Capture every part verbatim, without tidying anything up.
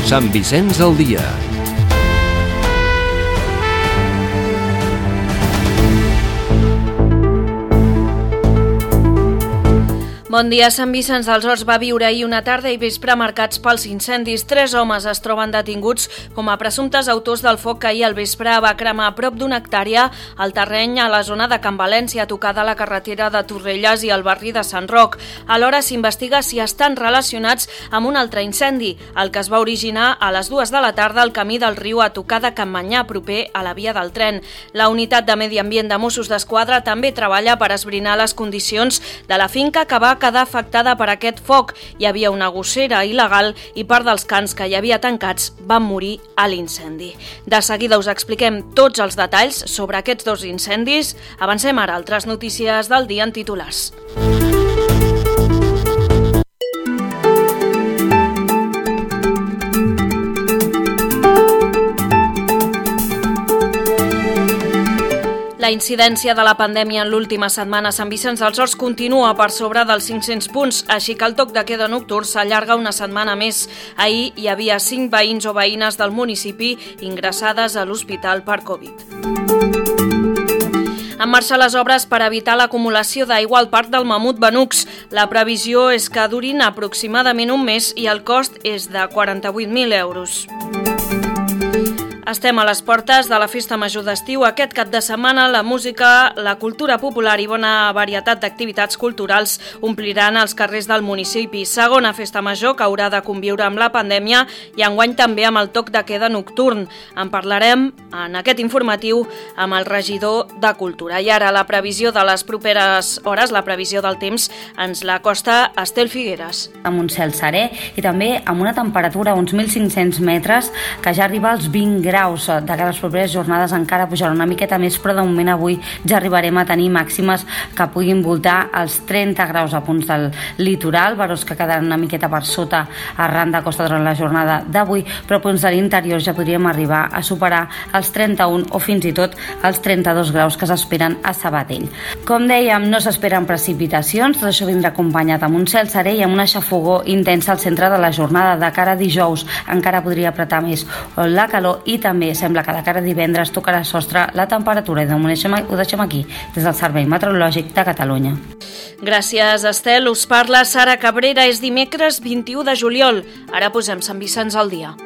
Sant Vicenç al dia. Bon dia. Sant Vicenç dels Horts va viure ahir una tarda i vespre marcats pels incendis. Tres homes es troben detinguts com a presumptes autors del foc que ahir al vespre va cremar a prop d'una hectàrea al terreny a la zona de Can València, tocada a la carretera de Torrelles i al barri de Sant Roc. Alhora s'investiga si estan relacionats amb un altre incendi, el que es va originar a les dues de la tarda al camí del riu a tocar de Can Manyà, proper a la via del tren. La unitat de Medi Ambient de Mossos d'Esquadra també treballa per esbrinar les condicions de la finca que va quedar afectada per aquest foc. Hi havia una gossera il·legal i part dels cans que hi havia tancats van morir a l'incendi. De seguida us expliquem tots els detalls sobre aquests dos incendis. Avancem ara a altres notícies del dia en titulars. La incidència de la pandèmia en l'última setmana a Sant Vicenç dels Horts continua per sobre dels cinc-cents punts, així que el toc de queda nocturn s'allarga una setmana més. Ahir hi havia cinc veïns o veïnes del municipi ingressades a l'hospital per Covid. En marxa les obres per evitar l'acumulació d'aigua al Parc del Mamut Benux. La previsió és que durin aproximadament un mes i el cost és de quaranta-vuit mil euros. Estem a les portes de la Festa Major d'estiu. Aquest cap de setmana la música, la cultura popular i bona varietat d'activitats culturals ompliran els carrers del municipi. Segona Festa Major que haurà de conviure amb la pandèmia i enguany també amb el toc de queda nocturn. En parlarem en aquest informatiu amb el regidor de Cultura. I ara la previsió de les properes hores, la previsió del temps, ens la costa Estel Figueres. Amb un cel serè i també amb una temperatura a uns mil cinc-cents metres que ja arriba als vint graus. De cara a les properes jornades encara pujarà una miqueta més, però de moment avui ja arribarem a tenir màximes que puguin voltar els trenta graus a punts del litoral, veros que quedaran una miqueta per sota arran de costa durant la jornada d'avui, però a punts de l'interior ja podríem arribar a superar els trenta-un o fins i tot els trenta-dos graus que s'esperen a Sabadell. Com dèiem, no s'esperen precipitacions, tot això vindrà acompanyat amb un cel serè i amb una xafogor intensa al centre de la jornada. De cara a dijous encara podria apretar més la calor i també sembla que de cara a divendres tocarà sostre la temperatura i de moment ho deixem aquí des del Servei Meteorològic de Catalunya. Gràcies, Estel. Us parla Sara Cabrera. És dimecres vint-i-u de juliol. Ara posem Sant Vicenç al dia.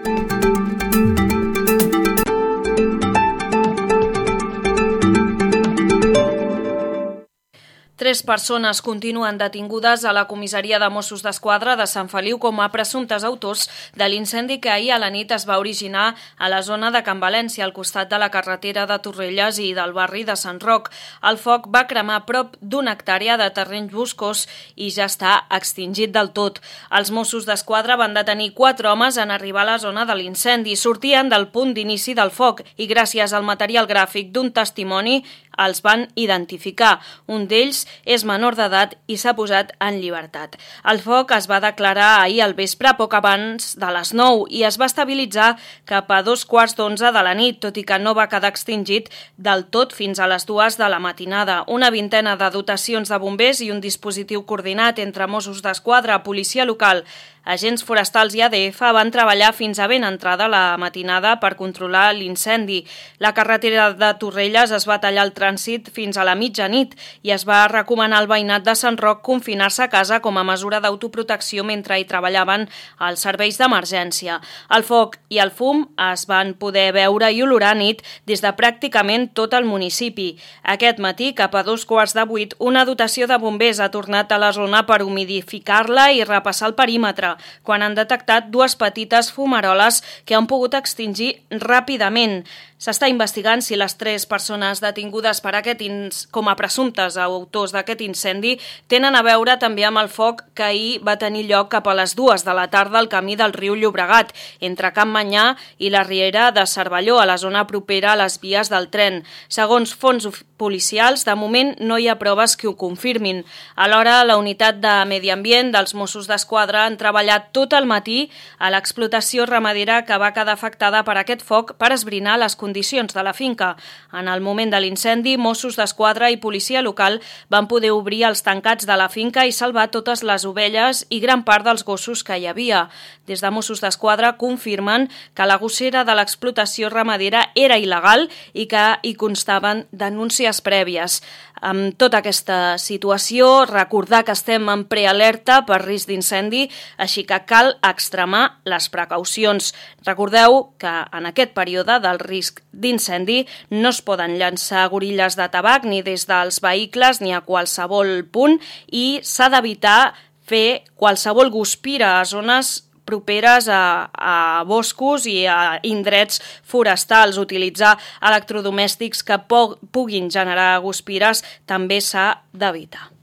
Tres persones continuen detingudes a la comissaria de Mossos d'Esquadra de Sant Feliu com a presumptes autors de l'incendi que ahir a la nit es va originar a la zona de Can València, al costat de la carretera de Torrelles i del barri de Sant Roc. El foc va cremar prop d'una hectàrea de terrenys boscos i ja està extingit del tot. Els Mossos d'Esquadra van detenir quatre homes en arribar a la zona de l'incendi. Sortien del punt d'inici del foc i gràcies al material gràfic d'un testimoni els van identificar. Un d'ells és menor d'edat i s'ha posat en llibertat. El foc es va declarar ahir al vespre poc abans de les nou i es va estabilitzar cap a dos quarts d'onze de la nit, tot i que no va quedar extingit del tot fins a les dues de la matinada. Una vintena de dotacions de bombers i un dispositiu coordinat entre Mossos d'Esquadra, policia local, agents forestals i A D F van treballar fins a ben entrada la matinada per controlar l'incendi. La carretera de Torrelles es va tallar el trànsit fins a la mitjanit i es va recomanar al veïnat de Sant Roc confinar-se a casa com a mesura d'autoprotecció mentre hi treballaven els serveis d'emergència. El foc i el fum es van poder veure i olorar a nit des de pràcticament tot el municipi. Aquest matí, cap a dos quarts de vuit, una dotació de bombers ha tornat a la zona per humidificar-la i repassar el perímetre, quan han detectat dues petites fumaroles que han pogut extingir ràpidament. S'està investigant si les tres persones detingudes per aquest ins... com a presumptes autors d'aquest incendi tenen a veure també amb el foc que ahir va tenir lloc cap a les dues de la tarda al camí del riu Llobregat, entre Can Manyà i la riera de Cervelló, a la zona propera a les vies del tren. Segons fons policials, de moment no hi ha proves que ho confirmin. Alhora, la unitat de Medi Ambient dels Mossos d'Esquadra han treballat tot el matí a l'explotació ramadera que va quedar afectada per aquest foc per esbrinar les condicions condicions de la finca. En el moment de l'incendi, Mossos d'Esquadra i policia local van poder obrir els tancats de la finca i salvar totes les ovelles i gran part dels gossos que hi havia. Des de Mossos d'Esquadra confirmen que la gossera de l'explotació ramadera era il·legal i que hi constaven denúncies prèvies. Amb tota aquesta situació, recordar que estem en prealerta per risc d'incendi, així que cal extremar les precaucions. Recordeu que en aquest període del risc d'incendi no es poden llançar gorilles de tabac ni des dels vehicles ni a qualsevol punt i s'ha d'evitar fer qualsevol guspira a zones properes a, a boscos i a indrets forestals. Utilitzar electrodomèstics que po- puguin generar guspires també s'ha d'evitar.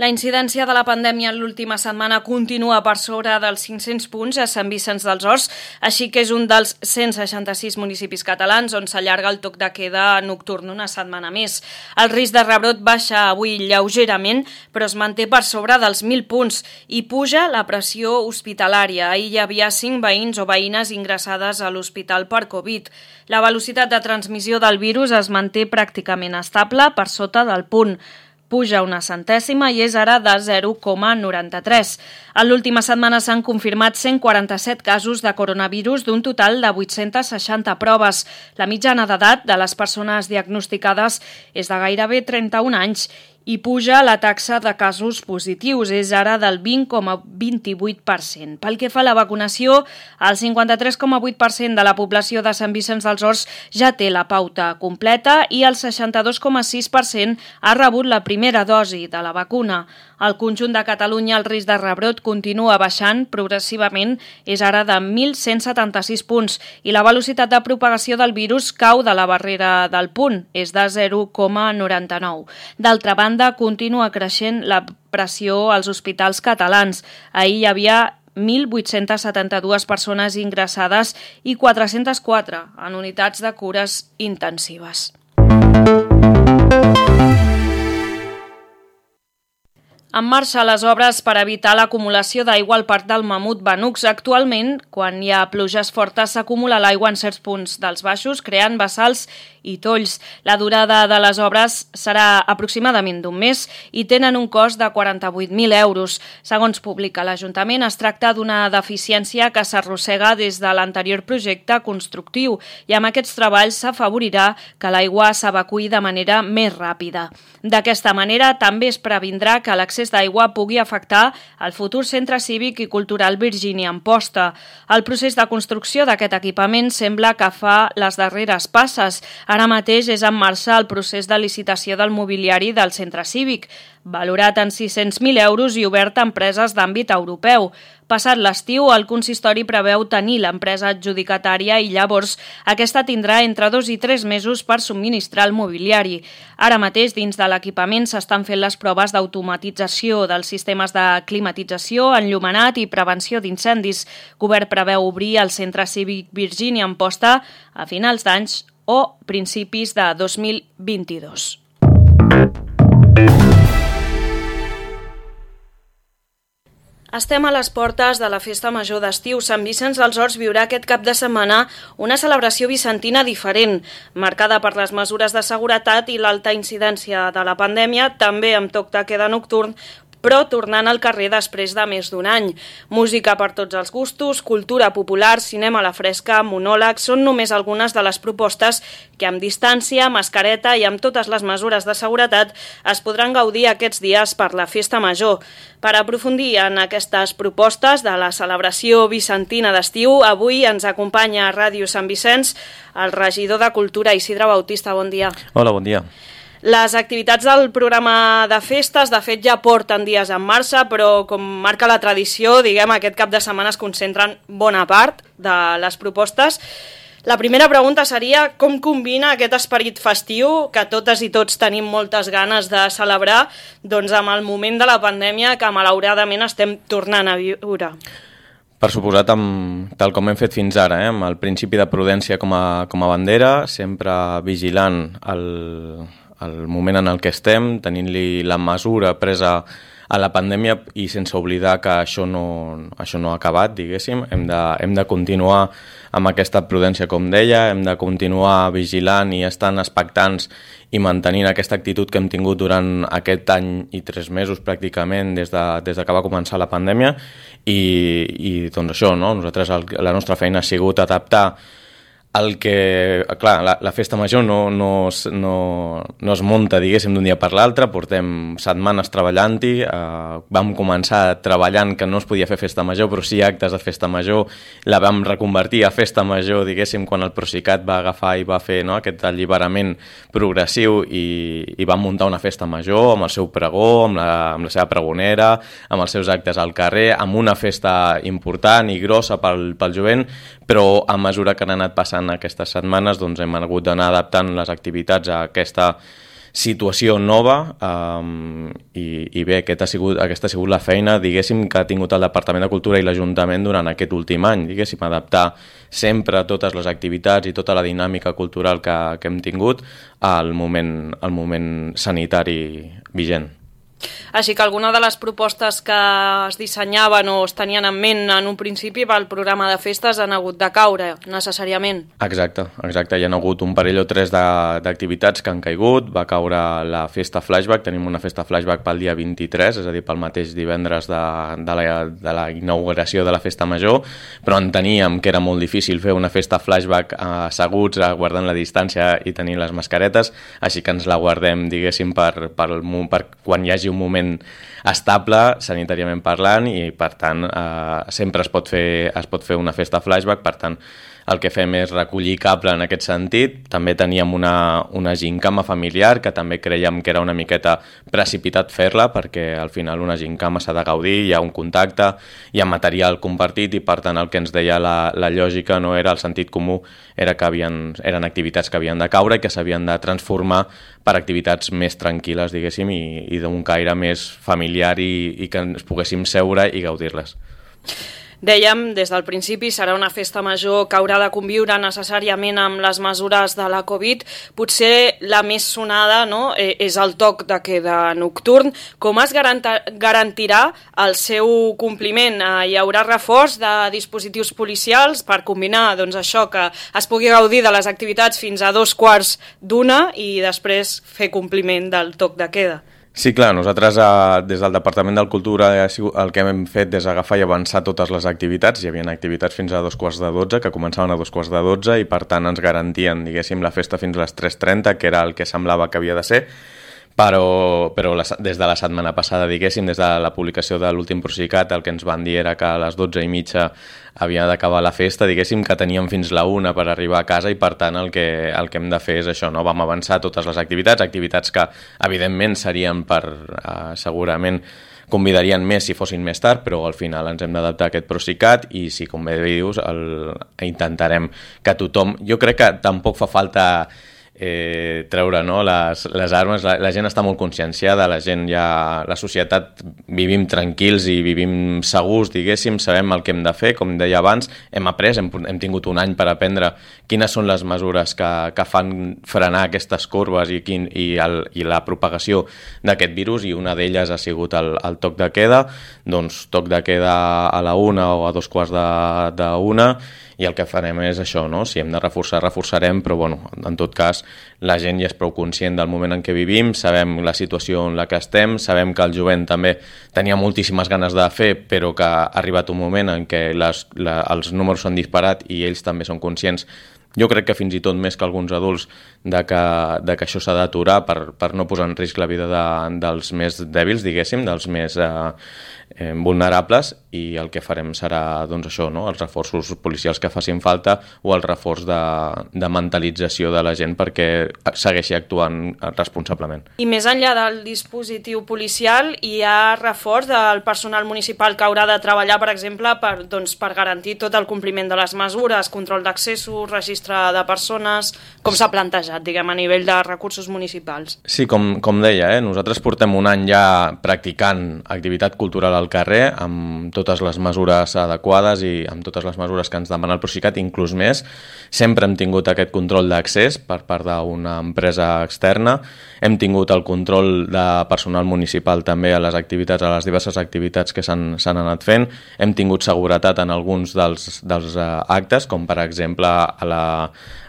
La incidència de la pandèmia en l'última setmana continua per sobre dels cinc-cents punts a Sant Vicenç dels Horts, així que és un dels cent seixanta-sis municipis catalans on s'allarga el toc de queda nocturn una setmana més. El risc de rebrot baixa avui lleugerament, però es manté per sobre dels mil punts i puja la pressió hospitalària. Ahir hi havia cinc veïns o veïnes ingressades a l'hospital per Covid. La velocitat de transmissió del virus es manté pràcticament estable per sota del punt. Puja una centèsima i és ara de zero coma noranta-tres. En l'última setmana s'han confirmat cent quaranta-set casos de coronavirus d'un total de vuit-cents seixanta proves. La mitjana d'edat de les persones diagnosticades és de gairebé trenta-un anys i puja la taxa de casos positius, és ara del vint coma vint-i-vuit per cent. Pel que fa a la vacunació, el cinquanta-tres coma vuit per cent de la població de Sant Vicenç dels Horts ja té la pauta completa i el seixanta-dos coma sis per cent ha rebut la primera dosi de la vacuna. Al conjunt de Catalunya el risc de rebrot continua baixant progressivament, és ara de mil cent setanta-sis punts i la velocitat de propagació del virus cau de la barrera del punt, és de zero coma noranta-nou. D'altra banda, continua creixent la pressió als hospitals catalans. Ahir hi havia mil vuit-cents setanta-dues persones ingressades i quatre-cents quatre en unitats de cures intensives. En marxa les obres per evitar l'acumulació d'aigua al Parc del Mamut Benux. Actualment, quan hi ha pluges fortes, s'acumula l'aigua en certs punts dels baixos, creant bassals i tolls. La durada de les obres serà aproximadament d'un mes i tenen un cost de quaranta-vuit mil euros. Segons publica l'Ajuntament, es tracta d'una deficiència que s'arrossega des de l'anterior projecte constructiu i amb aquests treballs s'afavorirà que l'aigua s'evacuï de manera més ràpida. D'aquesta manera, també es previndrà que l'accés d'aigua pugui afectar el futur centre cívic i cultural Virgínia Amposta. El procés de construcció d'aquest equipament sembla que fa les darreres passes. Ara mateix és en marxa el procés de licitació del mobiliari del centre cívic, valorat en sis-cents mil euros i obert a empreses d'àmbit europeu. Passat l'estiu, el consistori preveu tenir l'empresa adjudicatària i llavors aquesta tindrà entre dos i tres mesos per subministrar el mobiliari. Ara mateix, dins de l'equipament, s'estan fent les proves d'automatització dels sistemes de climatització, enllumenat i prevenció d'incendis. Govern preveu obrir el centre cívic Virgínia Amposta a finals d'anys o principis de dos mil vint-i-dos. Estem a les portes de la Festa Major d'estiu. Sant Vicenç dels Horts viurà aquest cap de setmana una celebració vicentina diferent, marcada per les mesures de seguretat i l'alta incidència de la pandèmia, també amb toc de queda nocturn, però tornant al carrer després de més d'un any. Música per tots els gustos, cultura popular, cinema a la fresca, monòlegs, són només algunes de les propostes que amb distància, mascareta i amb totes les mesures de seguretat es podran gaudir aquests dies per la Festa Major. Per aprofundir en aquestes propostes de la celebració vicentina d'estiu, avui ens acompanya a Ràdio Sant Vicenç el regidor de Cultura, Isidre Bautista. Bon dia. Hola, bon dia. Les activitats del programa de festes, de fet, ja porten dies en marxa, però com marca la tradició, diguem, aquest cap de setmana es concentren bona part de les propostes. La primera pregunta seria com combina aquest esperit festiu, que totes i tots tenim moltes ganes de celebrar, doncs amb el moment de la pandèmia que malauradament estem tornant a viure. Per suposat, amb, tal com hem fet fins ara, eh, amb el principi de prudència com a, com a bandera, sempre vigilant el... el moment en el que estem, tenint-li la mesura presa a la pandèmia i sense oblidar que això no, això no ha acabat, diguéssim. Hem de, hem de continuar amb aquesta prudència, com deia, hem de continuar vigilant i estant expectants i mantenint aquesta actitud que hem tingut durant aquest any i tres mesos pràcticament des de, des de que va començar la pandèmia i, i doncs això, no? Nosaltres el, la nostra feina ha sigut adaptar el que, clar, la, la festa major no, no, es, no, no es munta, diguéssim, d'un dia per l'altre, portem setmanes treballant-hi, eh, vam començar treballant que no es podia fer festa major, però sí actes de festa major, la vam reconvertir a festa major, diguéssim, quan el Procicat va agafar i va fer, no, aquest alliberament progressiu i, i vam muntar una festa major amb el seu pregó, amb la, amb la seva pregonera, amb els seus actes al carrer, amb una festa important i grossa pel, pel jovent, però a mesura que han anat passant aquestes setmanes doncs hem hagut d'anar adaptant les activitats a aquesta situació nova um, i, i bé, aquest ha sigut, aquesta ha sigut la feina, diguéssim, que ha tingut el Departament de Cultura i l'Ajuntament durant aquest últim any, diguéssim, adaptar sempre totes les activitats i tota la dinàmica cultural que, que hem tingut al moment, al moment sanitari vigent. Així que alguna de les propostes que es dissenyaven o es tenien en ment en un principi pel programa de festes han hagut de caure, necessàriament. Exacte, exacte. Hi ha hagut un parell o tres d'activitats que han caigut. Va caure la festa flashback, tenim una festa flashback pel dia vint-i-tres, és a dir, pel mateix divendres de, de, la, de la inauguració de la festa major, però enteníem que era molt difícil fer una festa flashback asseguts, guardant la distància i tenint les mascaretes, així que ens la guardem, diguéssim, per, per, per quan hi hagi un moment estable, sanitàriament parlant, i per tant eh, sempre es pot fer, es pot fer una festa flashback. Per tant el que fem és recollir cable en aquest sentit. També teníem una, una gincama familiar que també creiem que era una miqueta precipitat fer-la, perquè al final una gincama s'ha de gaudir, hi ha un contacte, hi ha material compartit, i per tant el que ens deia la, la lògica no era el sentit comú, era que havien, eren activitats que havien de caure i que s'havien de transformar per activitats més tranquil·les, diguéssim, i, i d'un caire més familiar i, i que ens poguéssim seure i gaudir-les. Dèiem, des del principi, serà una festa major que haurà de conviure necessàriament amb les mesures de la Covid. Potser la més sonada, no?, és el toc de queda nocturn. Com es garantirà el seu compliment? Hi haurà reforç de dispositius policials per combinar, doncs, això, que es pugui gaudir de les activitats fins a dos quarts d'una i després fer compliment del toc de queda? Sí, clar, nosaltres eh, des del Departament de Cultura el que hem fet és agafar i avançar totes les activitats. Hi havia activitats fins a dos quarts de dotze, que començaven a dos quarts de dotze, i per tant ens garantien, diguéssim, la festa fins a les tres trenta, que era el que semblava que havia de ser, però, però la, des de la setmana passada, diguéssim, des de la publicació de l'últim Procicat, el que ens van dir era que a les dotze i mitja havia d'acabar la festa, diguéssim, que teníem fins la una per arribar a casa, i per tant el que, el que hem de fer és això, no? Vam avançar totes les activitats, activitats que evidentment serien per, eh, segurament convidarien més si fossin més tard, però al final ens hem d'adaptar a aquest Procicat, i si, com bé dius, el, intentarem que tothom... Jo crec que tampoc fa falta eh, treure, no, les, les armes. La, la gent està molt conscienciada, la gent ja, la societat, vivim tranquils i vivim segurs, diguéssim, sabem el que hem de fer, com deia abans, hem après, hem, hem tingut un any per aprendre quines són les mesures que, que fan frenar aquestes corbes i, quin, i, el, i la propagació d'aquest virus, i una d'elles ha sigut el, el toc de queda. Doncs toc de queda a la una o a dos quarts de, de una, i el que farem és això, no? Si hem de reforçar, reforçarem, però bueno, en tot cas la gent ja és prou conscient del moment en què vivim, sabem la situació en la que estem, sabem que el jovent també tenia moltíssimes ganes de fer, però que ha arribat un moment en què les, la, els números s'han disparat i ells també són conscients, jo crec que fins i tot més que alguns adults, de que, de que això s'ha d'aturar per, per no posar en risc la vida de, dels més dèbils, diguéssim, dels més eh, eh, vulnerables, i el que farem serà, doncs, això, no? Els reforços policials que facin falta, o el reforç de, de mentalització de la gent perquè segueixi actuant responsablement. I més enllà del dispositiu policial, hi ha reforç del personal municipal que haurà de treballar, per exemple, per, doncs, per garantir tot el compliment de les mesures, control d'accessos, registre de persones, com s'ha plantejat, diguem, a nivell de recursos municipals. Sí, com, com deia, eh? Nosaltres portem un any ja practicant activitat cultural al carrer amb totes les mesures adequades i amb totes les mesures que ens demana el Procicat, inclús més. Sempre hem tingut aquest control d'accés per part d'una empresa externa, hem tingut el control de personal municipal també a les activitats, a les diverses activitats que s'han anat fent, hem tingut seguretat en alguns dels, dels actes, com per exemple a la,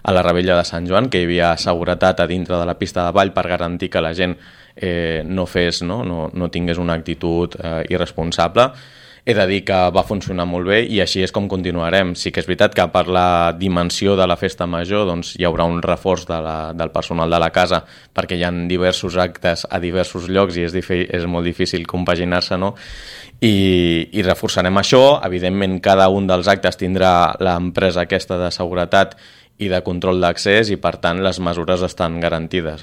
a la Rebella de Sant Joan, que hi havia seguretat a dintre de la pista de ball per garantir que la gent eh, no fes, no, no, no tingués una actitud eh, irresponsable. He de dir que va funcionar molt bé i així és com continuarem. Sí que és veritat que per la dimensió de la festa major doncs, hi haurà un reforç de la, del personal de la casa perquè hi ha diversos actes a diversos llocs i és, és molt difícil compaginar-se, no? I, i reforçarem això. Evidentment, cada un dels actes tindrà l'empresa aquesta de seguretat i de control d'accés i, per tant, les mesures estan garantides.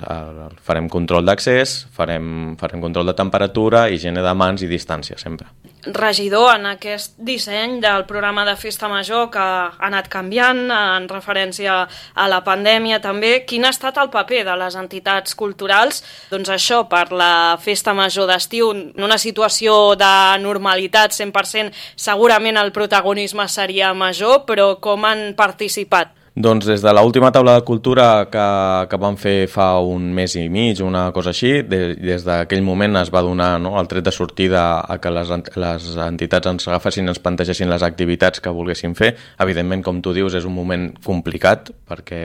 Farem control d'accés, farem, farem control de temperatura, higiene de mans i distància, sempre. Regidor, en aquest disseny del programa de Festa Major que ha anat canviant en referència a la pandèmia també, quin ha estat el paper de les entitats culturals? Doncs això, per la Festa Major d'estiu, en una situació de normalitat cent per cent, segurament el protagonisme seria major, però com han participat? Doncs des de l'última taula de cultura que, que vam fer fa un mes i mig, una cosa així, de, des d'aquell moment es va donar, no, el tret de sortida a que les, les entitats ens agafessin i ens plantegessin les activitats que volguessin fer. Evidentment, com tu dius, és un moment complicat perquè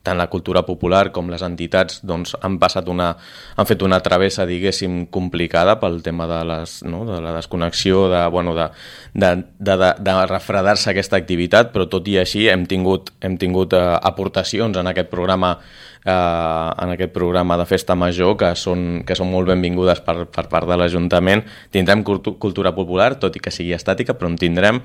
tant la cultura popular com les entitats doncs, han passat una, han fet una travessa, diguéssim, complicada pel tema de, les, no, de la desconnexió, de, bueno, de, de, de, de, de refredar-se aquesta activitat, però tot i així hem tingut, hem tingut aportacions en aquest programa eh, en aquest programa de Festa Major que són, que són molt benvingudes per, per part de l'Ajuntament. Tindrem cultura popular, tot i que sigui estàtica, però en tindrem.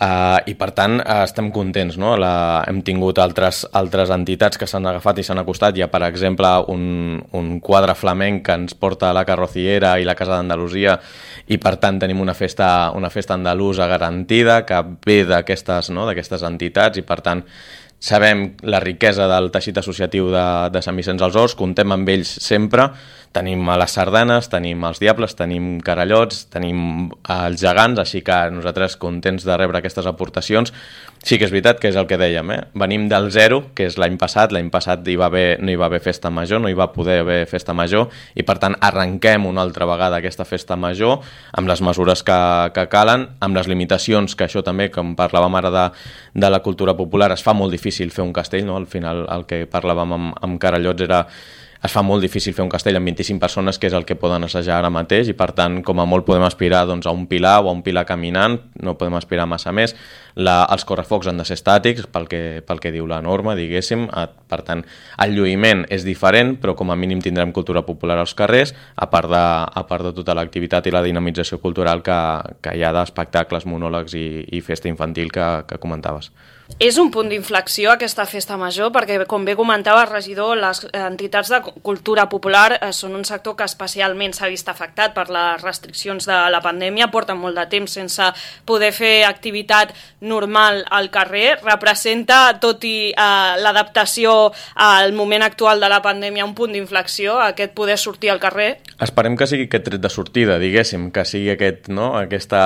Uh, i per tant uh, estem contents, no? La, hem tingut altres, altres entitats que s'han agafat i s'han acostat. Hi ha, per exemple, un, un quadre flamenc que ens porta a la Carrocillera i la Casa d'Andalusia i per tant tenim una festa, una festa andalusa garantida que ve d'aquestes, no? d'aquestes entitats i per tant sabem la riquesa del teixit associatiu de, de Sant Vicenç dels Horts, contem amb ells sempre. Tenim a les sardanes, tenim els diables, tenim carallots, tenim els gegants, així que nosaltres contents de rebre aquestes aportacions. Sí que és veritat que és el que dèiem, eh? Venim del zero, que és l'any passat, l'any passat hi va haver, no hi va haver festa major, no hi va poder haver festa major, i per tant arrenquem una altra vegada aquesta festa major amb les mesures que, que calen, amb les limitacions, que això també, com parlàvem ara de, de la cultura popular, es fa molt difícil fer un castell, no? Al final el que parlàvem amb, amb carallots era es fa molt difícil fer un castell amb vint-i-cinc persones, que és el que poden assajar ara mateix, i per tant, com a molt podem aspirar doncs, a un pilar o a un pilar caminant, no podem aspirar massa més. La, els correfocs han de ser estàtics, pel que, pel que diu la norma, diguéssim. Per tant, el lluïment és diferent, però com a mínim tindrem cultura popular als carrers, a part de, a part de tota l'activitat i la dinamització cultural que, que hi ha d'espectacles, monòlegs i, i festa infantil que, que comentaves. És un punt d'inflexió aquesta festa major perquè, com bé comentava el regidor, les entitats de cultura popular eh, són un sector que especialment s'ha vist afectat per les restriccions de la pandèmia, porten molt de temps sense poder fer activitat normal al carrer. Representa, tot i eh, l'adaptació al moment actual de la pandèmia, un punt d'inflexió, aquest poder sortir al carrer? Esperem que sigui aquest tret de sortida, diguéssim, que sigui aquest, no? aquesta,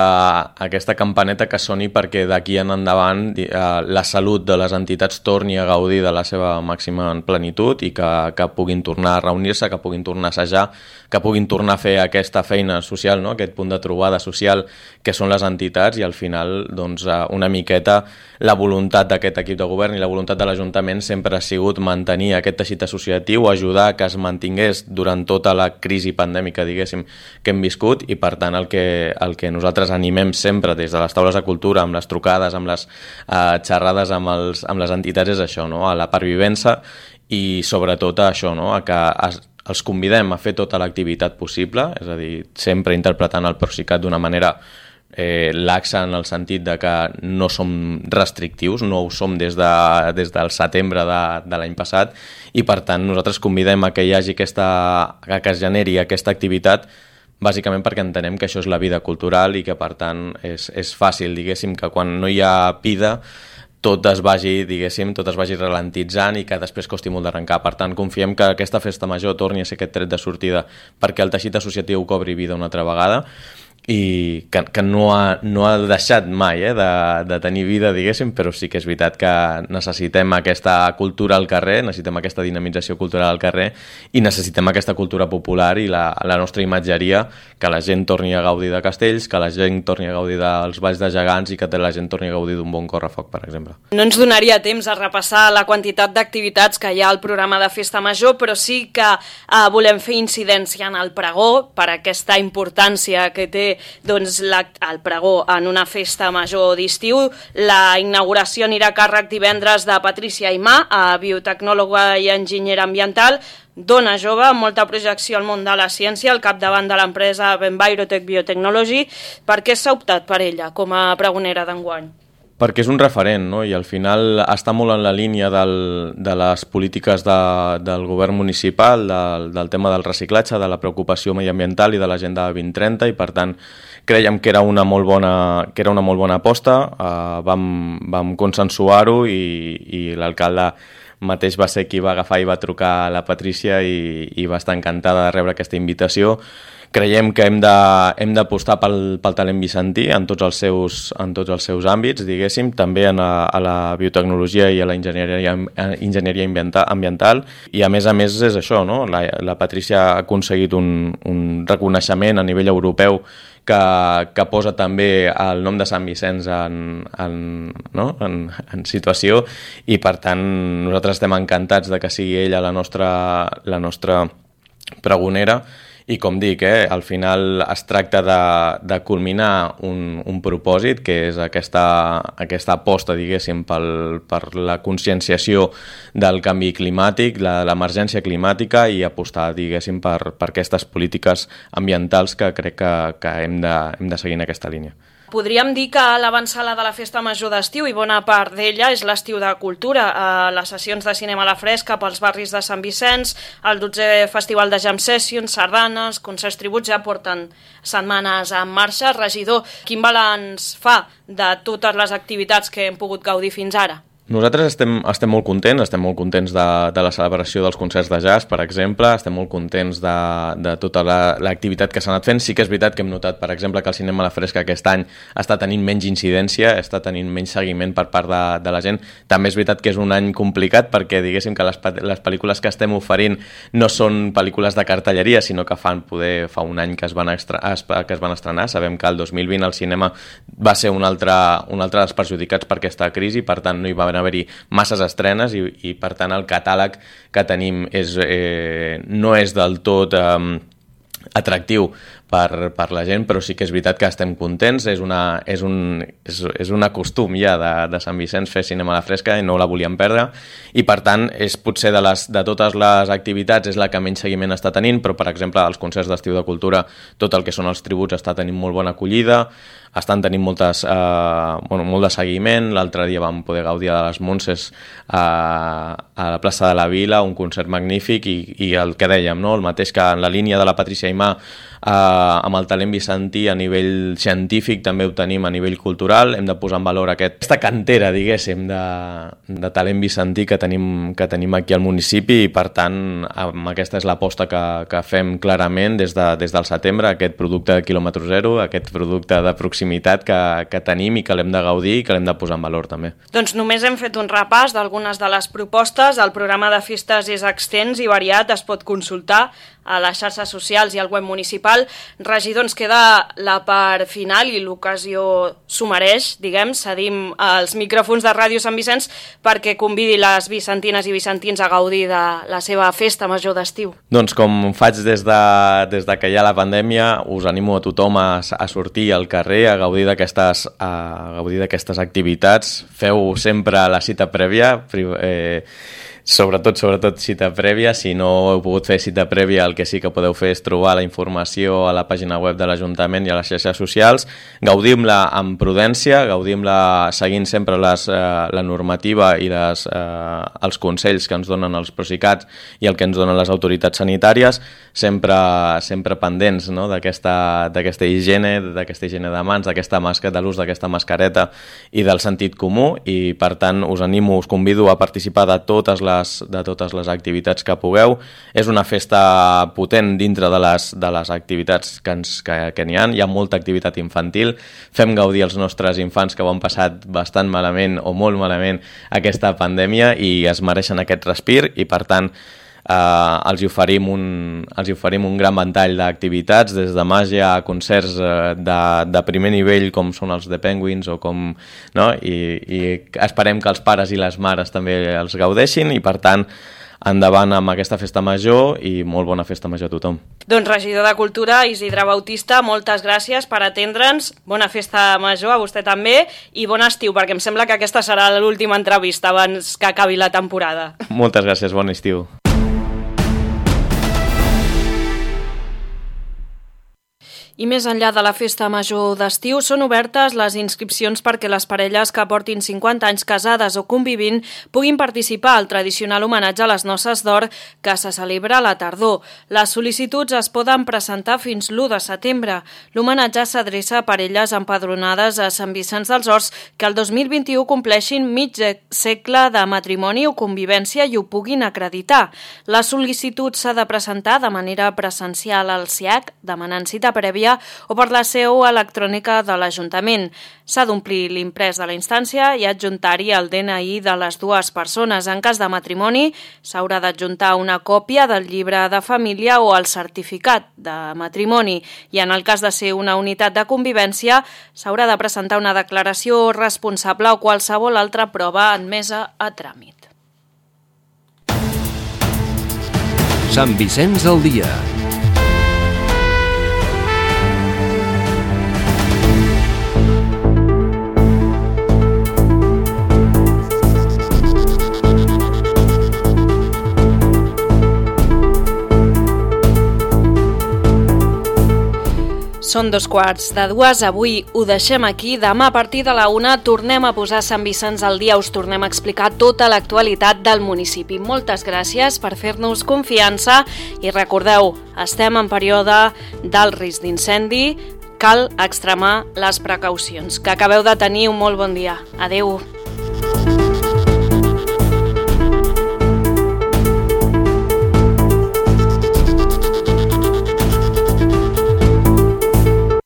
aquesta campaneta que soni perquè d'aquí en endavant eh, la salut de les entitats torni a gaudir de la seva màxima plenitud i que, que puguin tornar a reunir-se, que puguin tornar a assajar, que puguin tornar a fer aquesta feina social, no? Aquest punt de trobada social que són les entitats, i al final doncs, una miqueta la voluntat d'aquest equip de govern i la voluntat de l'Ajuntament sempre ha sigut mantenir aquest teixit associatiu, ajudar que es mantingués durant tota la crisi pandèmica, diguéssim, que hem viscut, i per tant el que, el que nosaltres animem sempre des de les taules de cultura, amb les trucades, amb les eh, xerrades amb, els, amb les entitats, és això, no? A la pervivència i sobretot a això, no? A que es, els convidem a fer tota l'activitat possible, és a dir, sempre interpretant el Procicat d'una manera eh, laxa, en el sentit de que no som restrictius, no ho som des, de, des del setembre de, de l'any passat, i per tant nosaltres convidem a que hi hagi aquesta, a que es generi aquesta activitat, bàsicament perquè entenem que això és la vida cultural i que per tant és, és fàcil, diguéssim, que quan no hi ha vida tot es vagi, diguéssim, tot es vagi ralentitzant i que després costi molt d'arrencar. Per tant, confiem que aquesta festa major torni a ser aquest tret de sortida perquè el teixit associatiu cobri vida una altra vegada i que, que no, ha, no ha deixat mai eh, de, de tenir vida, diguéssim, però sí que és veritat que necessitem aquesta cultura al carrer, necessitem aquesta dinamització cultural al carrer i necessitem aquesta cultura popular i la, la nostra imatgeria, que la gent torni a gaudir de castells, que la gent torni a gaudir dels balls de gegants i que la gent torni a gaudir d'un bon correfoc, per exemple. No ens donaria temps a repassar la quantitat d'activitats que hi ha al programa de Festa Major, però sí que eh, volem fer incidència en el pregó per aquesta importància que té doncs, la, el pregó en una festa major d'estiu. La inauguració anirà a càrrec divendres de Patricia Aimà, biotecnòloga i enginyera ambiental, dona jove amb molta projecció al món de la ciència, al capdavant de l'empresa Envirotech Biotechnology. Per què s'ha optat per ella com a pregonera d'enguany? Perquè és un referent, no? I al final està molt en la línia del, de les polítiques de, del govern municipal, del, del tema del reciclatge, de la preocupació mediambiental i de l'agenda vint trenta, i per tant creiem que era una molt bona, que era una molt bona aposta, uh, vam, vam consensuar-ho i, i l'alcalde mateix va ser qui va agafar i va trucar a la Patrícia i, i va estar encantada de rebre aquesta invitació. Creiem que hem de, hem d'apostar pel, pel talent vicentí en tots els seus, en tots els seus àmbits, diguéssim, també en a, a la biotecnologia i a la enginyeria, enginyeria ambiental, i a més a més és això, no? La, la Patrícia ha aconseguit un, un reconeixement a nivell europeu que, que posa també el nom de Sant Vicenç en, en, no? en, en situació, i per tant nosaltres estem encantats de que sigui ella la nostra, la nostra pregonera. I com dic, eh, al final es tracta de, de culminar un, un propòsit, que és aquesta, aquesta aposta, diguéssim, pel, per la conscienciació del canvi climàtic, la, l'emergència climàtica, i apostar, diguéssim, per, per aquestes polítiques ambientals que crec que, que hem, de, hem de seguir en aquesta línia. Podríem dir que l'avançada de la Festa Major d'estiu, i bona part d'ella, és l'estiu de cultura. Eh, les sessions de cinema a la fresca pels barris de Sant Vicenç, el dotzè Festival de Jam Sessions, sardanes, concerts tributs, ja porten setmanes en marxa. Regidor, quin balanç fa de totes les activitats que hem pogut gaudir fins ara? Nosaltres estem, estem molt contents, estem molt contents de, de la celebració dels concerts de jazz, per exemple, estem molt contents de, de tota la, l'activitat que s'ha anat fent. Sí que és veritat que hem notat, per exemple, que el cinema a la fresca aquest any està tenint menys incidència, està tenint menys seguiment per part de, de la gent. També és veritat que és un any complicat perquè, diguéssim, que les, les pel·lícules que estem oferint no són pel·lícules de cartelleria, sinó que fan poder fa un any que es van, extra, que es van estrenar. Sabem que el dos mil vint el cinema va ser un altre, un altre dels perjudicats per aquesta crisi, per tant no hi va haver haver-hi masses estrenes i, i per tant el catàleg que tenim és, eh, no és del tot eh, atractiu per, per la gent, però sí que és veritat que estem contents, és, una, és, un, és, és un costum ja de, de Sant Vicenç fer cinema a la fresca i no la volíem perdre, i per tant és potser de, les, de totes les activitats és la que menys seguiment està tenint, però per exemple els concerts d'estiu de cultura, tot el que són els tributs està tenint molt bona acollida, estan tenint moltes, eh, bueno, molt de seguiment. L'altre dia vam poder gaudir de les Montses eh, a la plaça de la Vila, un concert magnífic, i, i el que dèiem, no? El mateix que en la línia de la Patrícia Aimà, eh, amb el talent vicentí a nivell científic també ho tenim a nivell cultural, hem de posar en valor aquest, aquesta cantera, diguéssim, de, de talent vicentí que tenim, que tenim aquí al municipi, i per tant amb aquesta és l'aposta que, que fem clarament des, de, des del setembre, aquest producte de quilòmetre zero, aquest producte de proximitat que, que tenim i que l'hem de gaudir i que l'hem de posar en valor també. Doncs només hem fet un repàs d'algunes de les propostes. El programa de festes és extens i variat, es pot consultar a les xarxes socials i al web municipal. Regidor, ens queda la part final i l'ocasió s'ho mereix, diguem, cedim els micròfons de Ràdio Sant Vicenç perquè convidi les vicentines i vicentins a gaudir de la seva festa major d'estiu. Doncs com faig des de, des de que hi ha la pandèmia, us animo a tothom a, a sortir al carrer, a gaudir d'aquestes, a gaudir d'aquestes activitats. Feu sempre la cita prèvia, eh, sobretot, sobretot cita prèvia. Si no heu pogut fer cita prèvia, el que sí que podeu fer és trobar la informació a la pàgina web de l'Ajuntament i a les xarxes socials. Gaudim-la amb prudència, gaudim-la seguint sempre les, eh, la normativa i les, eh, els consells que ens donen els Procicat i el que ens donen les autoritats sanitàries, sempre, sempre pendents, no? d'aquesta, d'aquesta higiene, d'aquesta higiene de mans, d'aquesta màscara, de l'ús d'aquesta mascareta i del sentit comú, i per tant us animo, us convido a participar de totes les les, de totes les activitats que pugueu. És una festa potent dintre de les, de les activitats que, ens, que, que n'hi ha. Hi ha molta activitat infantil. Fem gaudir els nostres infants que ho han passat bastant malament o molt malament aquesta pandèmia i es mereixen aquest respir i, per tant, Uh, els, hi oferim un, els hi oferim un gran ventall d'activitats, des de màgia a concerts uh, de, de primer nivell com són els The Penguins o com, no? I, i esperem que els pares i les mares també els gaudeixin i, per tant, endavant amb aquesta festa major i molt bona festa major a tothom. Doncs regidor de Cultura, Isidre Bautista, moltes gràcies per atendre'ns, bona festa major a vostè també i bon estiu, perquè em sembla que aquesta serà l'última entrevista abans que acabi la temporada. Moltes gràcies, bon estiu. I més enllà de la festa major d'estiu, són obertes les inscripcions perquè les parelles que portin cinquanta anys casades o convivint puguin participar al tradicional homenatge a les noces d'or que se celebra a la tardor. Les sol·licituds es poden presentar fins l'u de setembre. L'homenatge s'adreça a parelles empadronades a Sant Vicenç dels Horts que el dos mil vint-i-u compleixin mig segle de matrimoni o convivència i ho puguin acreditar. La sol·licitud s'ha de presentar de manera presencial al S I A C, demanant cita prèvia o per la seu electrònica de l'Ajuntament. S'ha d'omplir l'imprès de la instància i adjuntar-hi el D N I de les dues persones. En cas de matrimoni, s'haurà d'adjuntar una còpia del llibre de família o el certificat de matrimoni i en el cas de ser una unitat de convivència, s'haurà de presentar una declaració responsable o qualsevol altra prova admesa a tràmit. Sant Vicenç al dia. Són dos quarts de dues, avui ho deixem aquí, demà a partir de la una tornem a posar Sant Vicenç al dia, us tornem a explicar tota l'actualitat del municipi. Moltes gràcies per fer-nos confiança i recordeu, estem en període del risc d'incendi, cal extremar les precaucions. Que acabeu de tenir un molt bon dia. Adeu.